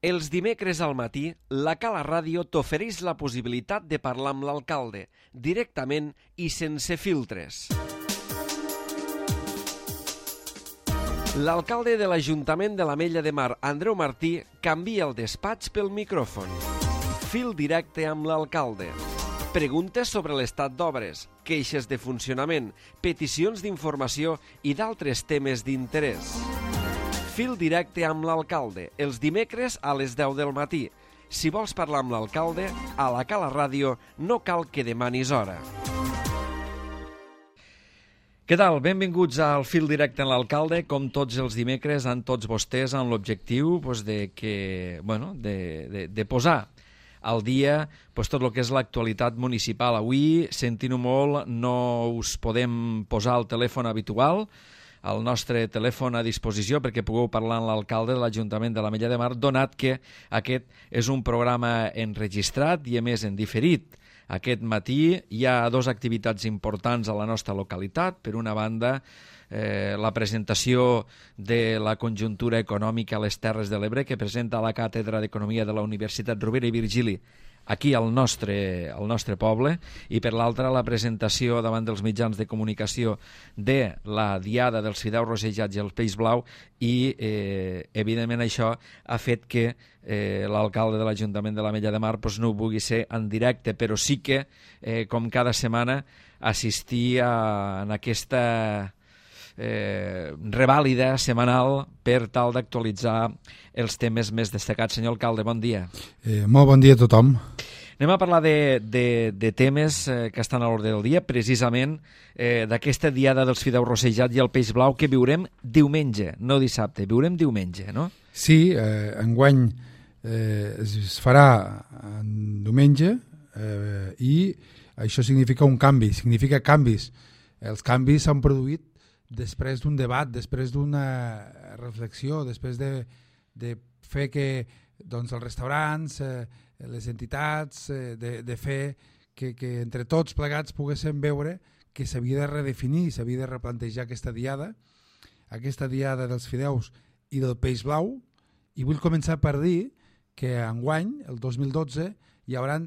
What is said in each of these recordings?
Els dimecres al matí, la Cala Ràdio t'ofereix la possibilitat de parlar amb l'alcalde, directament i sense filtres. L'alcalde de l'Ajuntament de l'Ametlla de Mar, Andreu Martí, canvia el despatx pel micròfon. Fil directe amb l'alcalde. Preguntes sobre l'estat d'obres, queixes de funcionament, peticions d'informació i d'altres temes d'interès. Fil directe amb l'alcalde, els dimecres a les 10 del matí. Si vols parlar amb l'alcalde, a la Cala Ràdio no cal que demanis hora. Què tal? Benvinguts al Fil directe amb l'alcalde. Com tots els dimecres, amb tots vostès, amb l'objectiu de posar al dia tot el que és l'actualitat municipal. Avui, sentint-ho molt, no us podem posar el telèfon habitual, el nostre telèfon a disposició perquè pugueu parlar amb l'alcalde de l'Ajuntament de l'Ametlla de Mar, donat que aquest és un programa enregistrat i a més en diferit. Aquest matí hi ha dues activitats importants a la nostra localitat. Per una banda, la presentació de la conjuntura econòmica a les Terres de l'Ebre que presenta la Càtedra d'Economia de la Universitat Rovira i Virgili aquí al nostre poble, i per l'altra la presentació davant dels mitjans de comunicació de la Diada dels Fideus Rossejats i el Peix Blau, i evidentment això ha fet que l'alcalde de l'Ajuntament de l'Ametlla de Mar no ho vulgui ser en directe, però sí que, com cada setmana, assistir en aquesta revàlida setmanal per tal d'actualitzar els temes més destacats. Senyor alcalde, bon dia. Molt bon dia a tothom. Anem a parlar de temes que estan a l'ordre del dia, precisament d'aquesta Diada dels Fideus Rossejats i el Peix Blau que viurem diumenge, no dissabte, viurem diumenge, no? Sí, enguany es farà en diumenge i això significa un canvi, significa canvis. Els canvis s'han produït després d'un debat, després d'una reflexió, després de fer que els restaurants, les entitats, de fer que entre tots plegats poguéssim veure que s'havia de redefinir, s'havia de replantejar aquesta diada dels fideus i del peix blau. I vull començar per dir que enguany, el 2012, hi haurà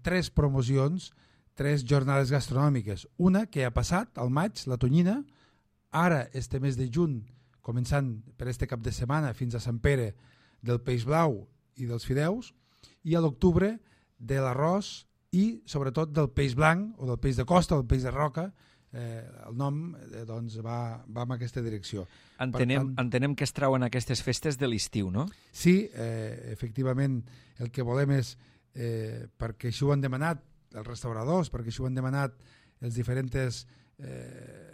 3 promocions, 3 jornades gastronòmiques. Una que ha passat, al maig, la tonyina. Ara, este mes de juny, començant per este cap de setmana fins a Sant Pere, del peix blau i dels fideus, i a l'octubre de l'arròs i sobretot del peix blanc o del peix de costa o del peix de roca. El nom va en aquesta direcció. Entenem que es trauen aquestes festes de l'estiu, no? Sí, efectivament, el que volem és, perquè això ho han demanat els restauradors, perquè això ho han demanat els diferents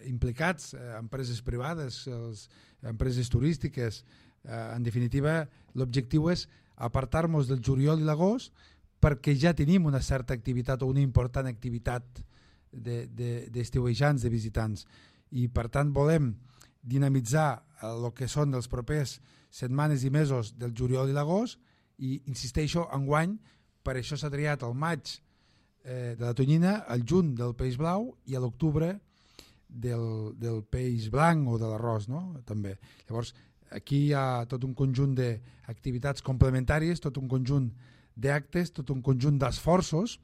implicats, empreses privades, empreses turístiques. En definitiva, l'objectiu és apartar-nos del juliol i l'agost perquè ja tenim una certa activitat o una important activitat d'estiuejants, de visitants, i per tant volem dinamitzar el que són els propers setmanes i mesos del juliol i l'agost, i insisteixo, enguany per això s'ha triat el maig de la tonyina, el juny del peix blau i a l'octubre del peix blanc o de l'arròs, no? També. Llavors, aquí hi ha tot un conjunt d'activitats complementàries, tot un conjunt d'actes, tot un conjunt d'esforços,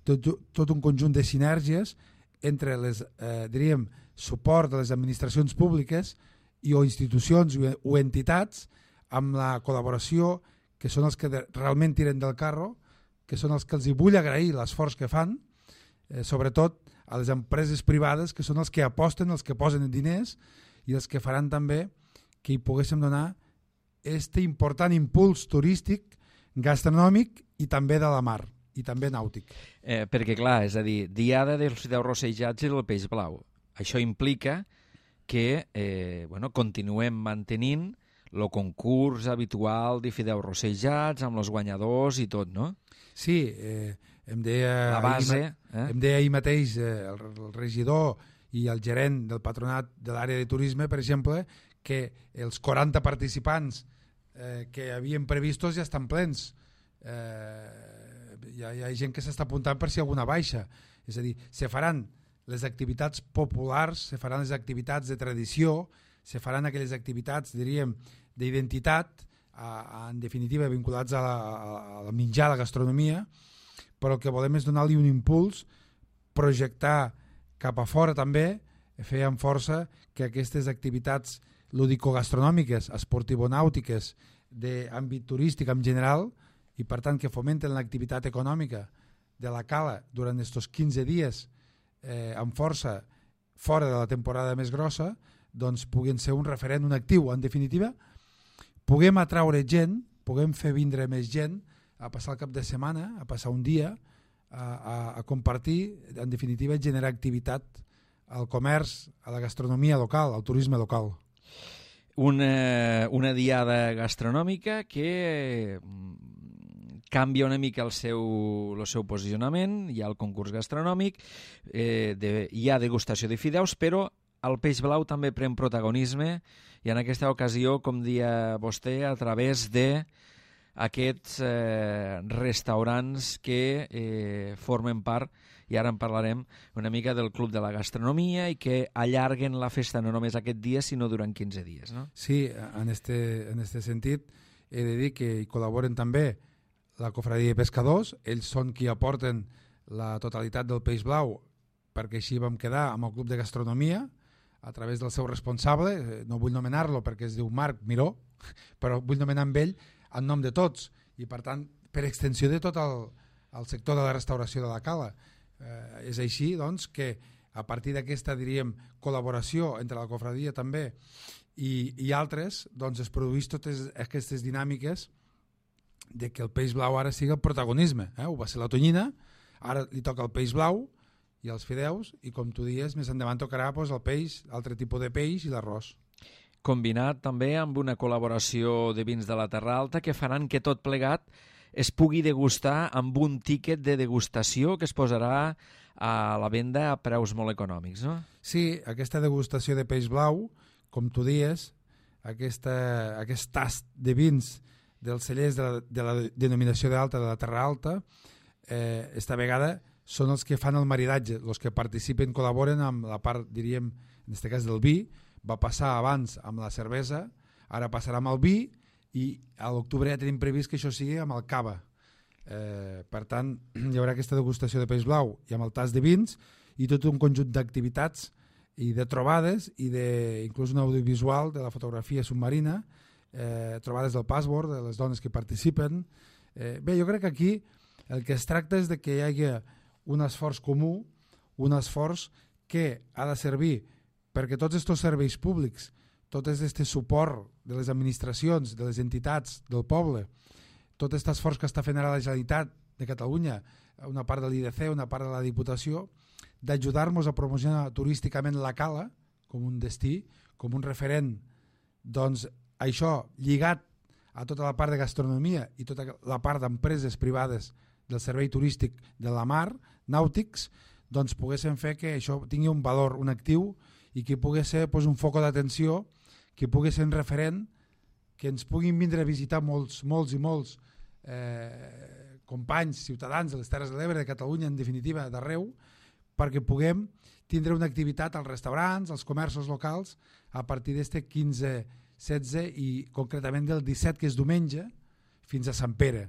tot un conjunt de sinergies entre diríem, suport de les administracions públiques o institucions o entitats, amb la col·laboració, que són els que realment tiren del carro, que són els que els hi vull agrair l'esforç que fan, sobretot a les empreses privades, que són els que aposten, els que posen diners i els que faran també que hi poguéssim donar aquest important impuls turístic, gastronòmic i també de la mar, i també nàutic. Perquè clar, és a dir, Diada dels Fideus Rossejats i del Peix Blau. Això implica que continuem mantenint el concurs habitual de fideus rossejats amb els guanyadors i tot, no? Sí, em deia ahir mateix el regidor i el gerent del patronat de l'àrea de turisme, per exemple, que els 40 participants que havien previstos ja estan plens. Hi ha gent que s'està apuntant per si alguna baixa. És a dir, se faran les activitats populars, se faran les activitats de tradició, se faran aquelles activitats, diríem, d'identitat, en definitiva vinculats a la menjar, a la gastronomia, però el que volem és donar-li un impuls, projectar cap a fora també, fer amb força que aquestes activitats lúdico-gastronòmiques, esportivo-nàutiques, d'àmbit turístic en general, i per tant que fomenten l'activitat econòmica de la cala durant aquests 15 dies amb força fora de la temporada més grossa, doncs puguin ser un referent, un actiu. En definitiva, puguem atraure gent, puguem fer vindre més gent a passar el cap de setmana, a passar un dia, a compartir, en definitiva, generar activitat al comerç, a la gastronomia local, al turisme local. Una diada gastronòmica que canvia una mica el seu posicionament. Hi ha el concurs gastronòmic, hi ha degustació de fideus, però el peix blau també pren protagonisme, i en aquesta ocasió, com dia vostè, a través d'aquests restaurants que formen part, i ara en parlarem una mica, del Club de la Gastronomia, i que allarguen la festa no només aquest dia, sinó durant 15 dies, no? Sí, en este sentit he de dir que hi col·laboren també la Cofradia de Pescadors. Ells són qui aporten la totalitat del peix blau, perquè així vam quedar amb el Club de Gastronomia a través del seu responsable. No vull nomenar-lo perquè es diu Marc Miró, però vull nomenar amb ell en nom de tots, i per tant per extensió de tot el sector de la restauració de la cala. És així, doncs, que a partir d'aquesta, diríem, col·laboració entre la Cofradia també i altres, doncs es produeix totes aquestes dinàmiques de que el peix blau ara sigui el protagonisme. Ho va ser la tonyina, ara li toca el peix blau i els fideus, i com tu dius, més endavant tocarà el peix, altre tipus de peix i l'arròs. Combinat també amb una col·laboració de vins de la Terra Alta que faran que tot plegat es pugui degustar amb un tíquet de degustació que es posarà a la venda a preus molt econòmics, no? Sí, aquesta degustació de peix blau, com tu dius, aquest tast de vins dels cellers de la denominació d'alta de la Terra Alta, esta vegada són els que fan el maridatge, els que participen, col·laboren amb la part, diríem, en aquest cas del vi. Va passar abans amb la cervesa, ara passarà amb el vi, i a l'octubre ja tenim previst que això sigui amb el cava. Per tant, hi haurà aquesta degustació de peix blau i amb el tas de vins, i tot un conjunt d'activitats i de trobades, i inclús un audiovisual de la fotografia submarina, trobades del password, de les dones que participen. Bé, jo crec que aquí el que es tracta és de que hi hagi un esforç comú, un esforç que ha de servir perquè tots aquests serveis públics, tot aquest suport de les administracions, de les entitats, del poble, tot aquest esforç que està fent ara la Generalitat de Catalunya, una part de l'IDC, una part de la Diputació, d'ajudar-nos a promocionar turísticament la cala com un destí, com un referent, doncs això lligat a tota la part de gastronomia i tota la part d'empreses privades del servei turístic de la mar, nàutics, doncs poguessin fer que això tingui un valor, un actiu, i que pugui ser un foc d'atenció, que pugui ser un referent, que ens puguin vindre a visitar molts i molts companys, ciutadans de les Terres de l'Ebre, de Catalunya, en definitiva, d'arreu, perquè puguem tindre una activitat als restaurants, als comerços locals, a partir d'este 15, 16 i concretament del 17, que és diumenge, fins a Sant Pere.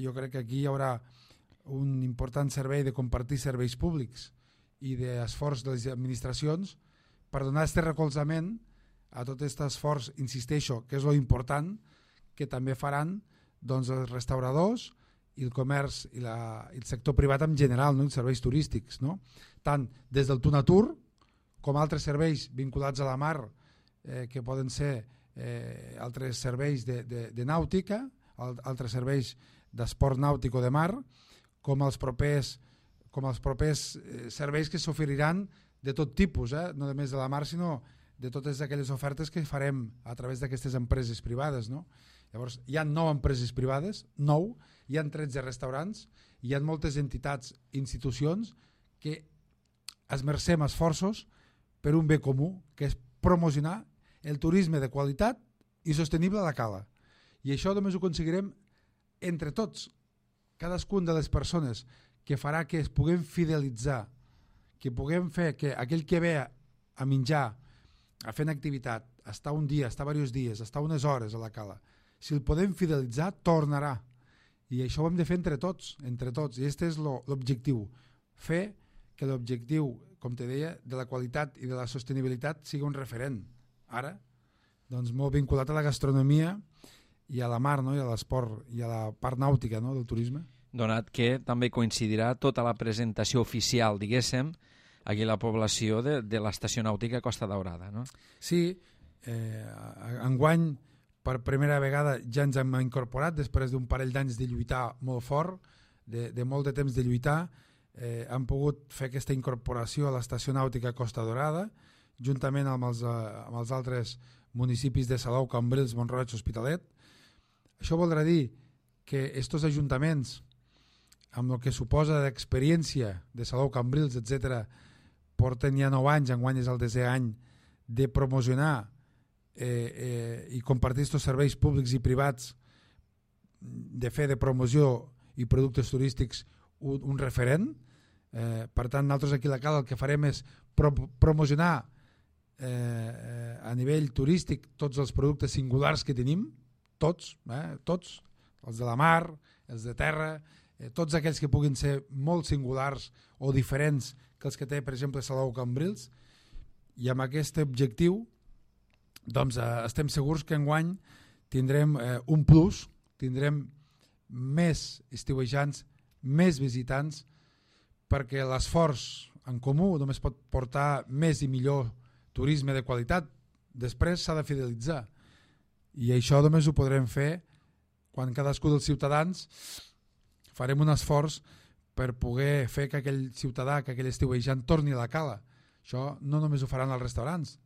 Jo crec que aquí hi haurà un important servei de compartir serveis públics i d'esforç de les administracions per donar aquest recolzament a tot aquest esforç, insisteixo, que és lo important, que també faran doncs, els restauradors i el comerç i el sector privat en general, no? Els serveis turístics, no? Tant des del Tunatur com altres serveis vinculats a la mar, que poden ser altres serveis de nàutica, altres serveis d'esport nàutic o de mar, com els propers serveis que s'oferiran de tot tipus, no només de la mar, sinó de totes aquelles ofertes que farem a través d'aquestes empreses privades, no? Llavors, hi ha 9 empreses privades, 9, hi ha 13 restaurants, hi ha moltes entitats i institucions que esmercem esforços per un bé comú, que és promocionar el turisme de qualitat i sostenible a la cala. I això només ho aconseguirem entre tots, cadascun de les persones, que farà que es puguem fidelitzar, que puguem fer que aquell que ve a menjar, a fer una activitat, a estar un dia, a estar diversos dies, a estar unes hores a la cala, si el podem fidelitzar, tornarà. I això ho hem de fer entre tots. I aquest és l'objectiu. Fer que l'objectiu, com te deia, de la qualitat i de la sostenibilitat sigui un referent. Ara, doncs molt vinculat a la gastronomia i a la mar, no? I a l'esport i a la part nàutica, no? Del turisme. Donat que també coincidirà tota la presentació oficial, diguéssim, aquí a la població de l'estació nàutica Costa Daurada, no? Sí, enguany per primera vegada ja ens hem incorporat després d'un parell d'anys de lluitar molt fort, de molt de temps de lluitar, hem pogut fer aquesta incorporació a l'estació nàutica Costa Daurada, juntament amb els altres municipis de Salou, Cambrils, Mont-roig, Hospitalet. Això voldrà dir que estos ajuntaments, amb el que suposa d'experiència de Salou, Cambrils, etc., porten ja 9 anys, enguany és el 10è any, de promocionar i compartir aquests serveis públics i privats, de fer de promoció i productes turístics un referent. Per tant, nosaltres aquí a la Cala el que farem és promocionar a nivell turístic tots els productes singulars que tenim, tots, els de la mar, els de terra, tots aquells que puguin ser molt singulars o diferents que els que té, per exemple, Salou Cambrils, i amb aquest objectiu doncs estem segurs que enguany tindrem un plus, tindrem més estiuejants, més visitants, perquè l'esforç en comú només pot portar més i millor turisme de qualitat. Després s'ha de fidelitzar, i això només ho podrem fer quan cadascun dels ciutadans farem un esforç per poder fer que aquell ciutadà, que aquell estiuejant torni a la Cala. Això no només ho faran els restaurants,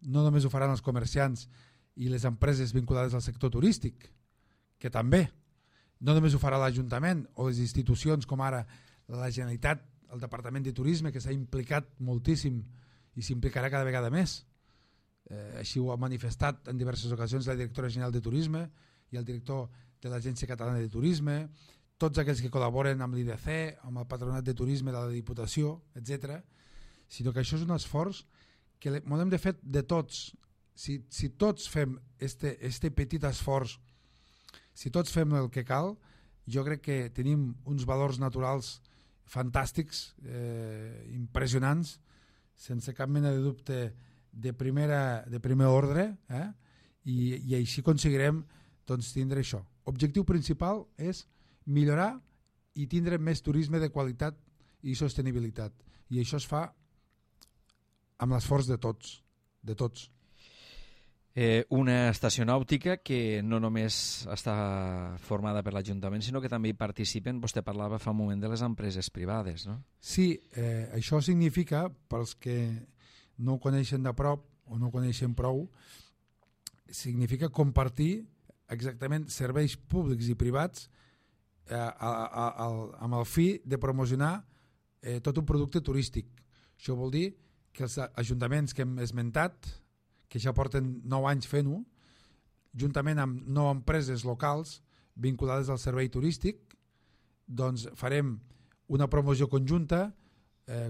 no només ho faran els comerciants i les empreses vinculades al sector turístic, que també, no només ho farà l'Ajuntament o les institucions com ara la Generalitat, el Departament de Turisme, que s'ha implicat moltíssim i s'implicarà cada vegada més. Així ho ha manifestat en diverses ocasions la directora general de Turisme i el director de l'Agència Catalana de Turisme, tots aquells que col·laboren amb l'IDC, amb el Patronat de Turisme de la Diputació, etc. Sinó que això és un esforç que hem de fer de tots. Si tots fem este petit esforç, si tots fem el que cal, jo crec que tenim uns valors naturals fantàstics, impressionants, sense cap mena de dubte de primer ordre, i així aconseguirem doncs, tindre això. Objectiu principal és millorar i tindre més turisme de qualitat i sostenibilitat, i això es fa amb l'esforç de tots, de tots. Una estació nàutica que no només està formada per l'Ajuntament, sinó que també hi participen, vostè parlava fa un moment de les empreses privades, no? Sí, això significa, pels que no ho coneixen de prop o no ho coneixen prou, significa compartir exactament serveis públics i privats amb el fi de promocionar tot un producte turístic. Això vol dir que els ajuntaments que hem esmentat, que ja porten 9 anys fent-ho, juntament amb 9 empreses locals vinculades al servei turístic, doncs farem una promoció conjunta,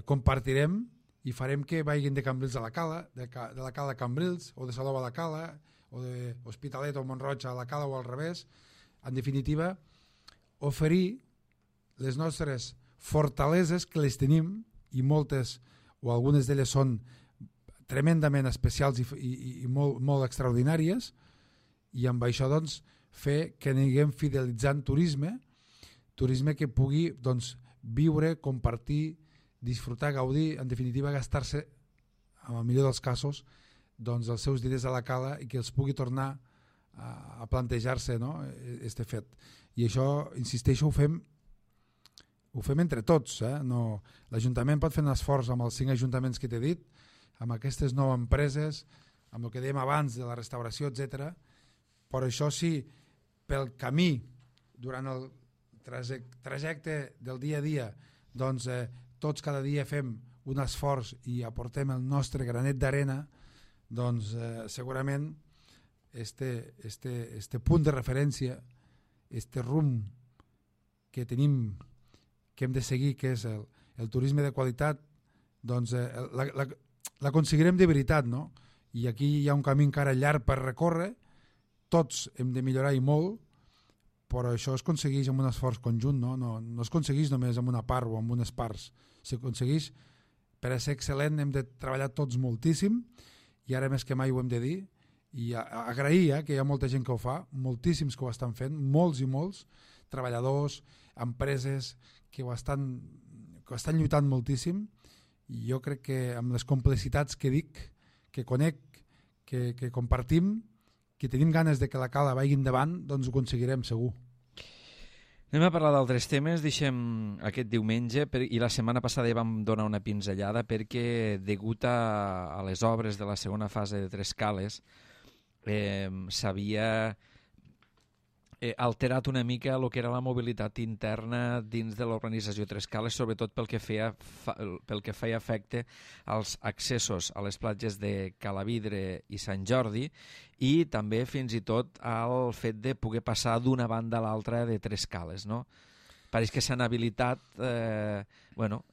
compartirem i farem que vagin de Cambrils a la Cala, de la Cala a Cambrils, o de Salou a la Cala, o de Hospitalet o Mont-roig a la Cala, o al revés. En definitiva, oferir les nostres fortaleses, que les tenim, i moltes o algunes d'elles són tremendament especials i molt, molt extraordinàries, i amb això doncs, fer que anirem fidelitzant turisme que pugui doncs, viure, compartir, disfrutar, gaudir, en definitiva gastar-se, en el millor dels casos, doncs, els seus diners a la Cala, i que els pugui tornar a plantejar-se, no?, este fet. I això, insisteixo, ho fem entre tots. No, l'Ajuntament pot fer un esforç amb els 5 ajuntaments que t'he dit, amb aquestes 9 empreses, amb el que dèiem abans de la restauració, etc. Però això sí, pel camí, durant el trajecte del dia a dia, doncs tots cada dia fem un esforç i aportem el nostre granet d'arena, doncs segurament este punt de referència, este rumb que tenim, que hem de seguir, que és el turisme de qualitat, doncs l'aconseguirem de veritat, no? I aquí hi ha un camí encara llarg per recórrer, tots hem de millorar i molt, però això es aconsegueix amb un esforç conjunt, no es aconsegueix només amb una part o amb unes parts, s'aconsegueix, per a ser excel·lent hem de treballar tots moltíssim, i ara més que mai ho hem de dir, i agrair que hi ha molta gent que ho fa, moltíssims que ho estan fent, molts i molts, treballadors, empreses que estan lluitant moltíssim, i jo crec que amb les complicitats que dic, que conec, que compartim, que tenim ganes de que la cala vagi endavant, doncs ho aconseguirem segur. Anem a parlar d'altres temes, deixem aquest diumenge, i la setmana passada ja vam donar una pinzellada perquè degut a les obres de la segona fase de Tres Cales s'havia alterat una mica el que era la mobilitat interna dins de l'organització Tres Cales, sobretot pel que feia efecte als accessos a les platges de Calavidre i Sant Jordi, i també fins i tot al fet de poder passar d'una banda a l'altra de Tres Cales, no? Pareix que s'han habilitat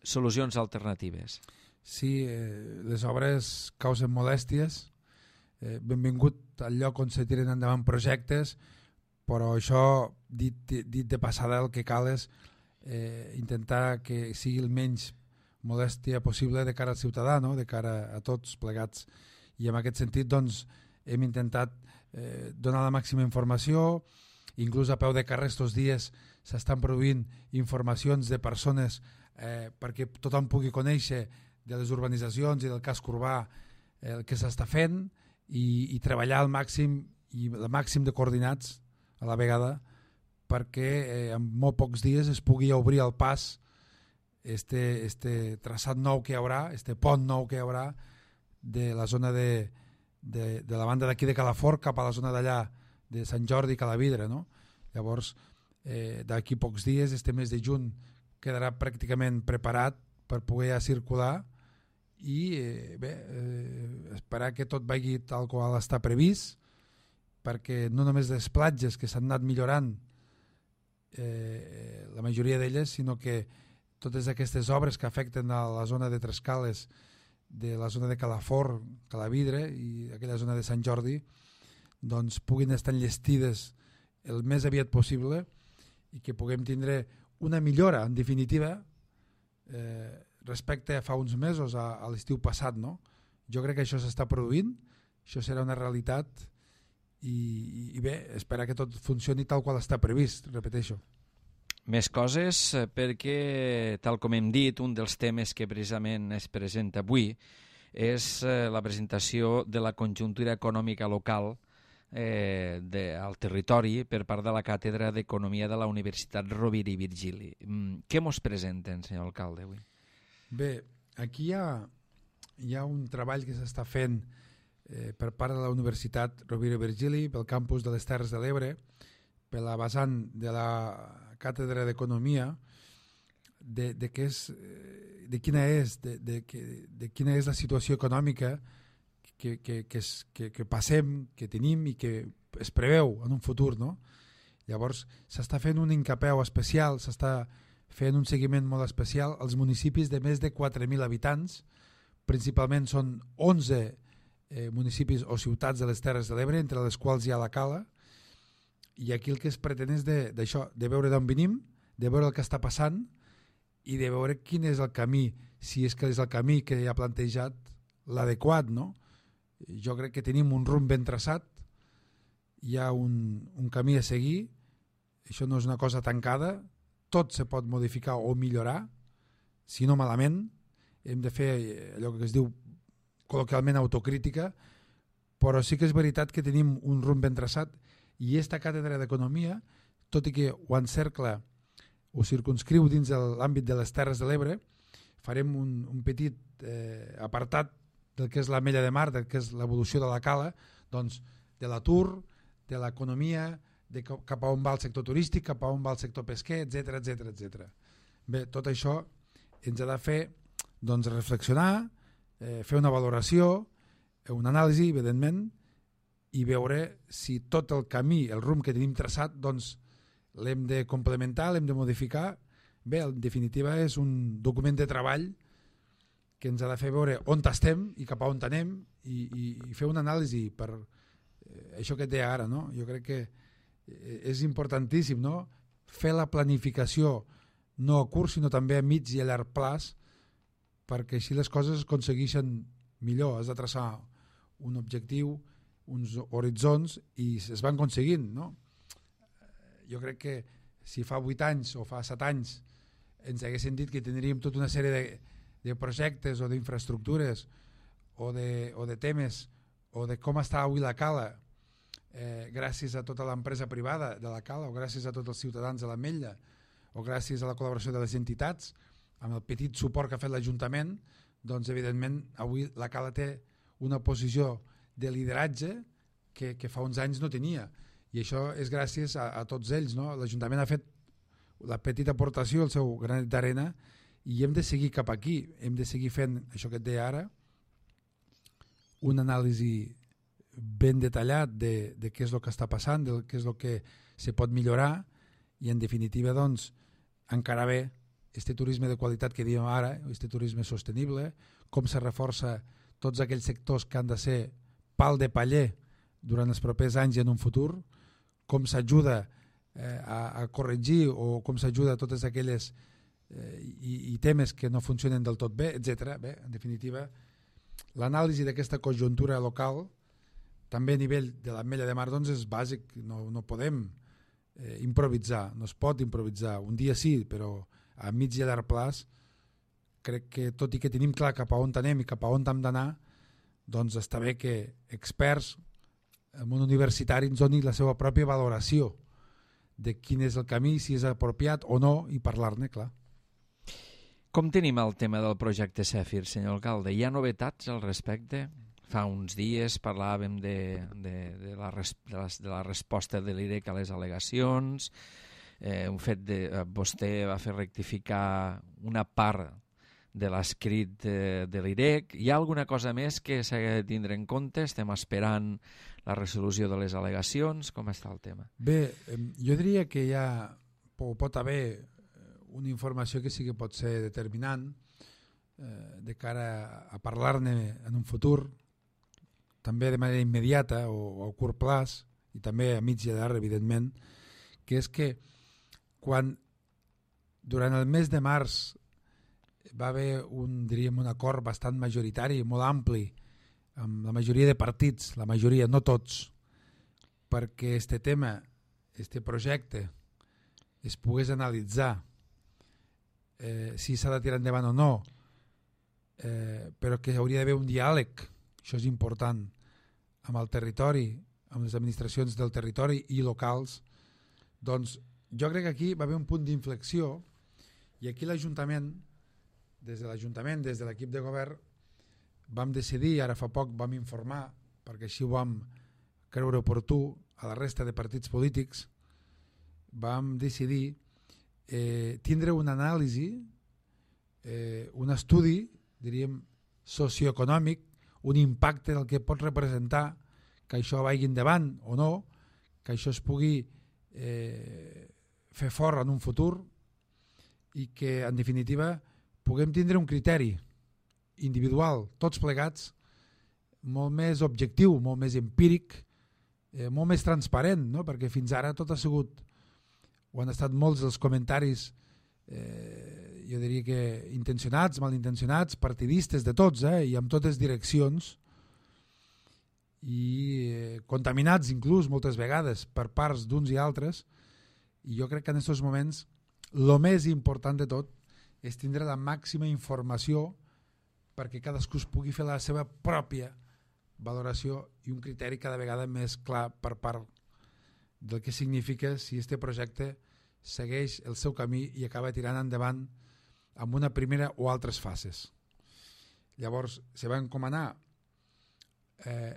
solucions alternatives. Sí, les obres causen molèsties, benvingut al lloc on se tiren endavant projectes, però això, dit de passada, el que cal és intentar que sigui el menys molèstia possible de cara al ciutadà, no? De cara a tots plegats. I en aquest sentit doncs, hem intentat donar la màxima informació, inclús a peu de carrer estos dies s'estan produint informacions de persones perquè tothom pugui conèixer de les urbanitzacions i del casc urbà el que s'està fent i treballar al màxim i el màxim de coordinats a la vegada perquè en molt pocs dies es pugui obrir el pas este traçat nou que hi haurà, este pont nou que hi haurà de la zona de la banda d'aquí de Calafort cap a la zona d'allà de Sant Jordi i Calavidre, no? Llavors, d'aquí pocs dies, este mes de juny quedarà pràcticament preparat per poder circular i esperar que tot vagi tal qual està previst, perquè no només les platges que s'han anat millorant la majoria d'elles, sinó que totes aquestes obres que afecten a la zona de Tres Cales, de la zona de Calafort, Calavidre i aquella zona de Sant Jordi, doncs puguin estar enllestides el més aviat possible i que puguem tindre una millora, en definitiva, respecte a fa uns mesos, a l'estiu passat, no? Jo crec que això s'està produint, això serà una realitat i bé, esperar que tot funcioni tal qual està previst, repeteixo. Més coses, perquè, tal com hem dit, un dels temes que precisament es presenta avui és la presentació de la conjuntura econòmica local al territori per part de la Càtedra d'Economia de la Universitat Rovira i Virgili. Què mos presenten, senyor alcalde, avui? Bé, aquí hi ha un treball que s'està fent per part de la Universitat Rovira i Virgili, pel campus de les Terres de l'Ebre, per la vessant de la Càtedra d'Economia, de quina és la situació econòmica que passem, que tenim i que es preveu en un futur, no? Llavors s'està fent un incapeu especial, s'està fent un seguiment molt especial als municipis de més de 4.000 habitants, principalment són 11 municipis o ciutats de les Terres de l'Ebre, entre les quals hi ha la Cala, i aquí el que es pretén és d'això, de veure d'on venim, de veure el que està passant i de veure quin és el camí, si és que és el camí que ha plantejat l'adequat, no? Jo crec que tenim un rumb ben traçat, hi ha un camí a seguir, això no és una cosa tancada, tot se pot modificar o millorar, si no malament, hem de fer allò que es diu col·loquialment autocrítica, però sí que és veritat que tenim un rumb ben traçat i aquesta càtedra d'economia, tot i que ho encercla, ho circunscriu dins de l'àmbit de les Terres de l'Ebre, farem un petit apartat del que és la Mella de Mar, del que és l'evolució de la Cala, doncs de l'atur, de l'economia, de cap a on va el sector turístic, cap a on va el sector pesquer, etc. Bé, tot això ens ha de fer doncs, reflexionar, fer una valoració, una anàlisi, evidentment, i veure si tot el camí, el rumb que tenim traçat, doncs l'hem de complementar, l'hem de modificar. Bé, en definitiva és un document de treball que ens ha de fer veure on estem i cap a on anem i fer una anàlisi per això que et deia ara, no? Jo crec que és importantíssim, no? Fer la planificació no a curt sinó també a mig i a llarg plaç, perquè així les coses es aconsegueixen millor. Has de traçar un objectiu, uns horitzons, i es van aconseguint, no? Jo crec que si fa 8 anys o fa 7 anys ens haguessin dit que tindríem tota una sèrie de projectes o d'infraestructures o de temes o de com està avui la Cala, gràcies a tota l'empresa privada de la Cala o gràcies a tots els ciutadans de l'Ametlla o gràcies a la col·laboració de les entitats, amb el petit suport que ha fet l'Ajuntament, doncs evidentment avui la Cala té una posició de lideratge que fa uns anys no tenia, i això és gràcies a tots ells, no? L'Ajuntament ha fet la petita aportació, el seu granet d'arena, i hem de seguir cap aquí, hem de seguir fent això que et deia ara, una anàlisi ben detallat de què és el que està passant, de què és el que se pot millorar, i en definitiva doncs encara bé este turisme de qualitat que diem ara, este turisme sostenible, com se reforça tots aquells sectors que han de ser pal de paller durant els propers anys i en un futur, com s'ajuda a corregir o com s'ajuda a totes aquelles i temes que no funcionen del tot bé, etc. Bé, en definitiva, l'anàlisi d'aquesta conjuntura local, també a nivell de l'Ametlla de Mar, doncs és bàsic, no podem improvisar, no es pot improvisar. Un dia sí, però a mig i a llarg plaç crec que tot i que tenim clar cap a on anem i cap a on hem d'anar, doncs està bé que experts, el món universitari ens doni la seva pròpia valoració de quin és el camí, si és apropiat o no, i parlar-ne, clar. Com tenim el tema del projecte Zèfir, senyor alcalde? Hi ha novetats al respecte? Fa uns dies parlàvem de la resposta de l'IREC a les al·legacions, un fet vostè va fer rectificar una part de l'escrit de l'IREC. Hi ha alguna cosa més que s'ha de tindre en compte? Estem esperant la resolució de les al·legacions? Com està el tema? Bé, jo diria que pot haver una informació que sí que pot ser determinant de cara a parlar-ne en un futur, també de manera immediata o a curt plaç, i també a mig i a llarg, evidentment, que és que quan durant el mes de març va haver un acord bastant majoritari, molt ampli, amb la majoria de partits, la majoria, no tots, perquè este tema, este projecte, es pogués analitzar si s'ha de tirar endavant o no, però que hauria d'haver un diàleg, això és important, amb el territori, amb les administracions del territori i locals. Doncs jo crec que aquí va haver un punt d'inflexió, i aquí l'Ajuntament, des de l'equip de govern, vam decidir, ara fa poc vam informar, perquè així ho vam creure oportú a la resta de partits polítics, vam decidir tindre una anàlisi, un estudi, diríem, socioeconòmic, un impacte del que pot representar que això vagi endavant o no, que això es pugui fer fort en un futur, i que en definitiva puguem tindre un criteri individual, tots plegats, molt més objectiu, molt més empíric, molt més transparent, no? Perquè fins ara tot ha sigut, o han estat molts dels comentaris, jo diria que intencionats, malintencionats, partidistes de tots, i amb totes direccions, i contaminats inclús moltes vegades per parts d'uns i altres, i jo crec que en aquests moments el més important de tot és tindre la màxima informació perquè cadascú es pugui fer la seva pròpia valoració i un criteri cada vegada més clar per part del que significa si este projecte segueix el seu camí i acaba tirant endavant amb una primera o altres fases. Llavors, se va encomanar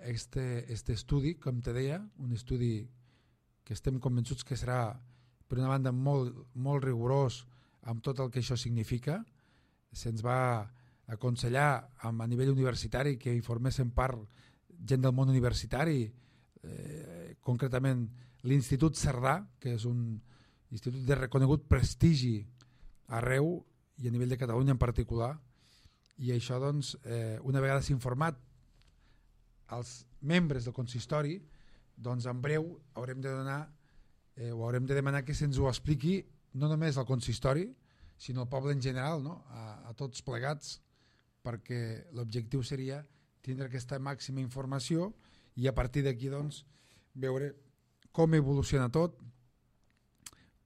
este estudi, com te deia, un estudi que estem convençuts que serà, per una banda, molt rigorós amb tot el que això significa. Se'ns va aconsellar a nivell universitari que hi formessin part gent del món universitari, concretament l'Institut Cerdà, que és un institut de reconegut prestigi arreu i a nivell de Catalunya en particular, i això, doncs, una vegada s'ha informat als membres del consistori, doncs en breu haurem de donar o haurem de demanar que se'ns ho expliqui no només al consistori, sinó al poble en general, no? A tots plegats, perquè l'objectiu seria tindre aquesta màxima informació i a partir d'aquí doncs, veure com evoluciona tot,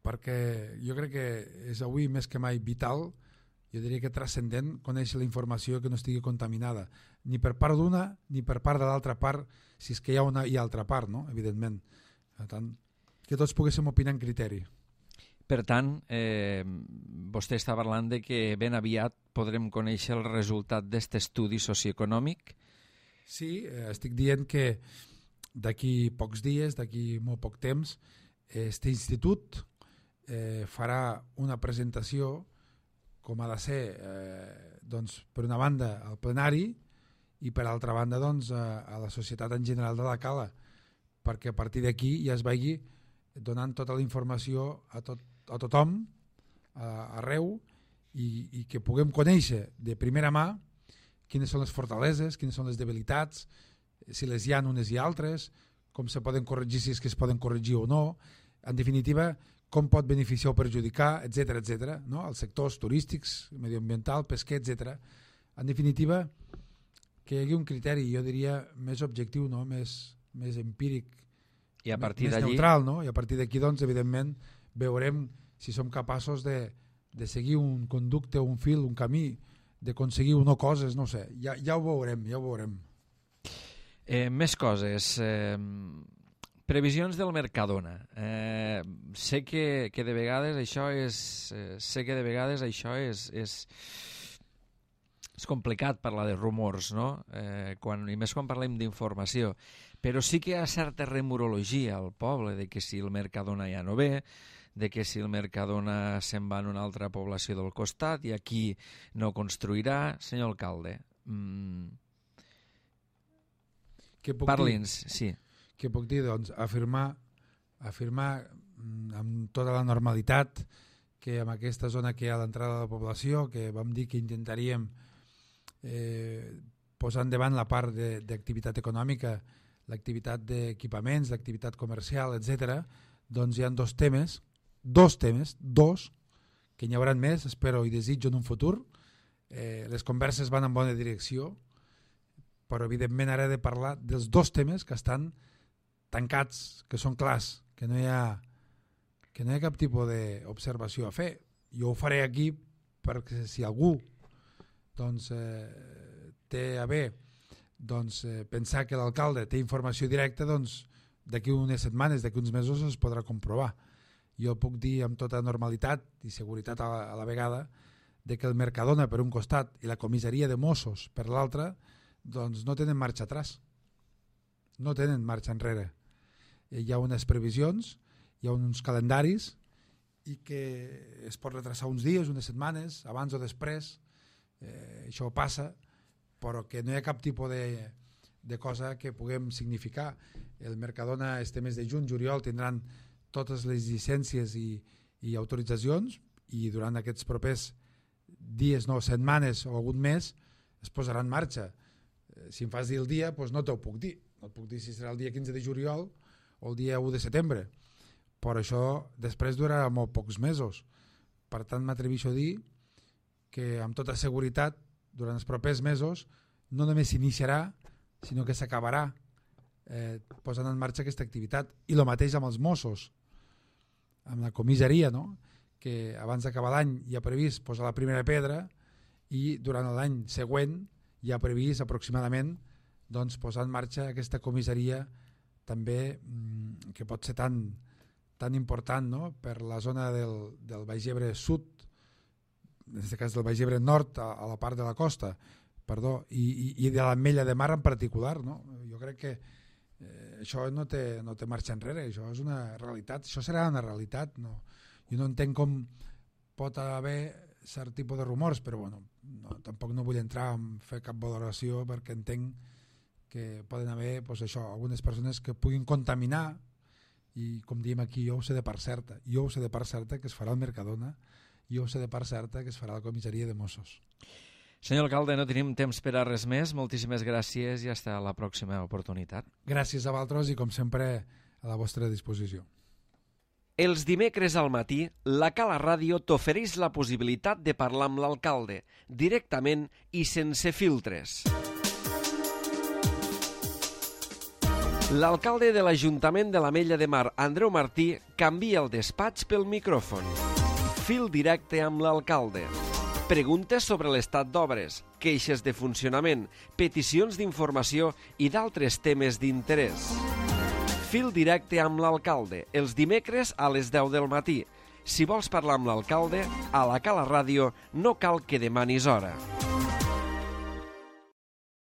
perquè jo crec que és avui més que mai vital, jo diria que transcendent, conèixer la informació que no estigui contaminada, ni per part d'una ni per part de l'altra part, si és que hi ha una i altra part, no? Evidentment. Per tant, que tots poguéssim opinar en criteri. Per tant, vostè està parlant de que ben aviat podrem conèixer el resultat d'aquest estudi socioeconòmic? Sí, estic dient que d'aquí pocs dies, d'aquí molt poc temps, aquest institut farà una presentació com ha de ser, doncs, per una banda al plenari i per altra banda doncs, a la societat en general de la Cala, perquè a partir d'aquí ja es vegi donant tota la informació a tothom, arreu, i que puguem conèixer de primera mà quines són les fortaleses, quines són les debilitats, si les hi ha unes i altres, com se poden corregir, si és que es poden corregir o no, en definitiva, com pot beneficiar o perjudicar, etc etc, no? Els sectors turístics, medioambiental, pesquer, etc. En definitiva, que hi hagi un criteri, jo diria, més objectiu, no? més empíric, i a partir més neutral, no? I a partir d'aquí, doncs, evidentment, veurem si som capaços de seguir un conducte, un fil, un camí, d'aconseguir o no coses, no sé, ja ho veurem, ja ho veurem. Més coses. Previsions del Mercadona. Sé que de vegades això és complicat parlar de rumors, no? I més quan parlem d'informació, però sí que hi ha certa remorologia al poble de que si el Mercadona ja no ve, de que si el Mercadona se'n va en una altra població del costat i aquí no construirà. Senyor alcalde, parli'ns, sí. Què puc dir? Doncs afirmar amb tota la normalitat que en aquesta zona que hi ha a l'entrada de la població, que vam dir que intentaríem posar endavant la part d'activitat econòmica, l'activitat d'equipaments, l'activitat comercial, etc. Doncs hi ha dos temes, que n'hi haurà més, espero i desitjo en un futur. Les converses van en bona direcció, però evidentment ara he de parlar dels dos temes que estan tancats, que són clars, que no hi ha cap tipus d'observació a fer. Jo ho faré aquí perquè si algú doncs, té a bé pensar que l'alcalde té informació directa, doncs d'aquí unes setmanes, d'aquí uns mesos es podrà comprovar. Jo puc dir amb tota normalitat i seguretat a la vegada de que el Mercadona per un costat i la comissaria de Mossos per l'altre doncs no tenen marxa atrás, no tenen marxa enrere. Hi ha unes previsions, hi ha uns calendaris i que es pot retrasar uns dies, unes setmanes, abans o després, això passa, però que no hi ha cap tipus de cosa que puguem significar. El Mercadona este mes de juny, juliol, tindran totes les llicències i autoritzacions i durant aquests propers dies, no, setmanes o algun mes es posarà en marxa. Si em fas dir el dia, doncs no t'ho puc dir. No et puc dir si serà el dia 15 de juliol o el dia 1 de setembre. Però això després durarà molt pocs mesos. Per tant, m'atreveixo a dir que amb tota seguretat durant els propers mesos no només s'iniciarà, sinó que s'acabarà posant en marxa aquesta activitat. I el mateix amb els Mossos, amb la comissaria, no? Que abans d'acabar l'any hi ha previst posar la primera pedra i durant l'any següent hi ha previst aproximadament doncs, posar en marxa aquesta comissaria també que pot ser tan important, no? Per la zona del Baix Ebre Sud, en aquest cas del Baix Ebre Nord, a la part de la costa, perdó, i de l'Ametlla de Mar en particular, no? Jo crec que això no té marxa enrere, això és una realitat, això serà una realitat, no? Jo no entenc com pot haver cert tipus de rumors, però bueno, tampoc no vull entrar a fer cap valoració perquè entenc que poden haver algunes persones que puguin contaminar i com diem aquí, jo ho sé de part certa, que es farà al Mercadona, jo ho sé de part certa que es farà a la comissaria de Mossos. Senyor alcalde, no tenim temps per a res més. Moltíssimes gràcies i fins a la pròxima oportunitat. Gràcies a vosaltres i, com sempre, a la vostra disposició. Els dimecres al matí, la Cala Ràdio t'ofereix la possibilitat de parlar amb l'alcalde, directament i sense filtres. L'alcalde de l'Ajuntament de l'Ametlla de Mar, Andreu Martí, canvia el despatx pel micròfon. Fil directe amb l'alcalde. Preguntes sobre l'estat d'obres, queixes de funcionament, peticions d'informació i d'altres temes d'interès. Fil directe amb l'alcalde, els dimecres a les 10 del matí. Si vols parlar amb l'alcalde, a la Cala Ràdio no cal que demanis hora.